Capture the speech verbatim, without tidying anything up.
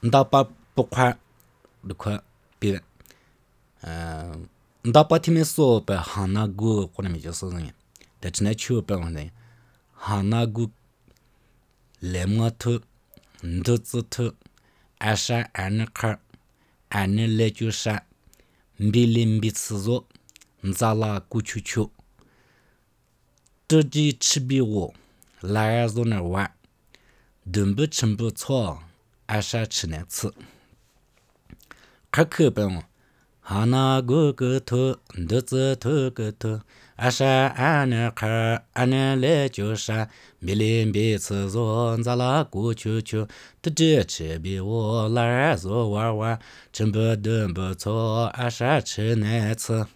ndá pa bốc快的快别嗯ndá pa听没说呗哈那个或者没就是人但只能去呗我呢哈那个来么头ndó子头二十二那块二那来就啥米零米次做咱拉过去去这几吃比我来做那玩顿不吃不错二十吃那次可可本哈那个个头ndó子头个头二十二那块二那来就啥米零米次做咱拉过去去这这吃比我来做玩玩真不顿不错二十吃那次